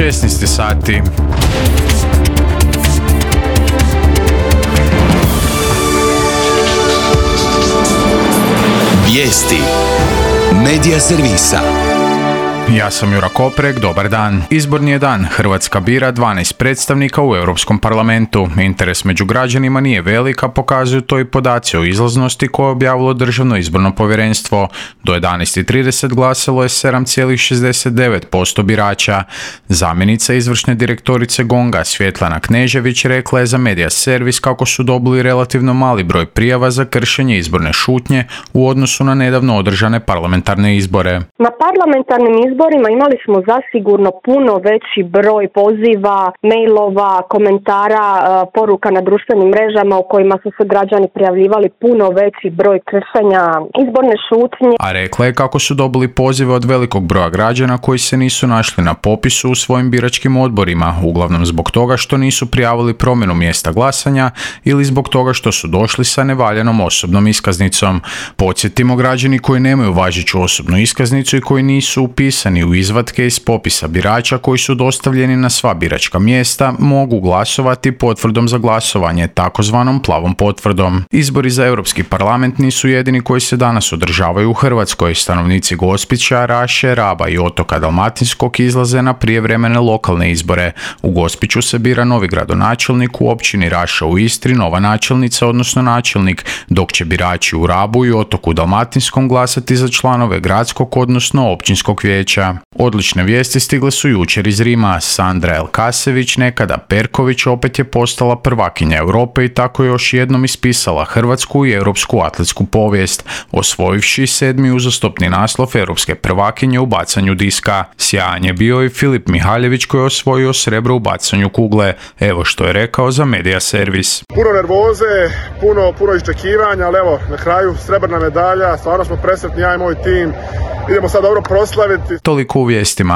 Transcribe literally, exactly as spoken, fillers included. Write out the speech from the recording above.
šesnaest sati. Vijesti Medija servisa. Ja sam Jura Koprek, dobar dan. Izborni je dan, Hrvatska bira dvanaest predstavnika u Europskom parlamentu. Interes među građanima nije velik, a pokazuju to i podaci o izlaznosti koje je objavilo Državno izborno povjerenstvo. Do jedanaest i trideset glasalo je sedam zarez šezdeset devet posto birača. Zamjenica izvršne direktorice GONG-a Svjetlana Knežević rekla je za Medija servis kako su dobili relativno mali broj prijava za kršenje izborne šutnje u odnosu na nedavno održane parlamentarne izbore. Na parlamentarnim izborima imali smo zasigurno puno veći broj poziva, mailova, komentara, poruka na društvenim mrežama u kojima su se građani prijavljivali puno veći broj kršenja izborne šutnje. A rekla je kako su dobili pozive od velikog broja građana koji se nisu našli na popisu u svojim biračkim odborima, uglavnom zbog toga što nisu prijavili promjenu mjesta glasanja ili zbog toga što su došli sa nevaljanom osobnom iskaznicom. Podsjetimo, građani koji nemaju važeću osobnu iskaznicu i koji nisu upisani u izvatke iz popisa birača koji su dostavljeni na sva biračka mjesta mogu glasovati potvrdom za glasovanje, takozvanom plavom potvrdom. Izbori za Europski parlament nisu jedini koji se danas održavaju u Hrvatskoj. Stanovnici Gospića, Raše, Raba i otoka Dalmatinskog izlaze na prijevremene lokalne izbore. U Gospiću se bira novi gradonačelnik, u općini Raša u Istri nova načelnica, odnosno načelnik, dok će birači u Rabu i otoku Dalmatinskom glasati za članove gradskog, odnosno općinskog vijeća. Odlične vijesti stigle su jučer iz Rima. Sandra Elkasević, nekada Perković, opet je postala prvakinja Europe i tako još jednom ispisala hrvatsku i europsku atletsku povijest, osvojivši sedmi uzastopni naslov europske prvakinje u bacanju diska. Sjajan je bio i Filip Mihaljević koji je osvojio srebro u bacanju kugle. Evo što je rekao za Medija servis. Puno nervoze, puno, puno iščekivanja, ali evo, na kraju srebrna medalja, stvarno smo presretni, ja i moj tim. Idemo sad dobro proslaviti. Toliko u vijestima.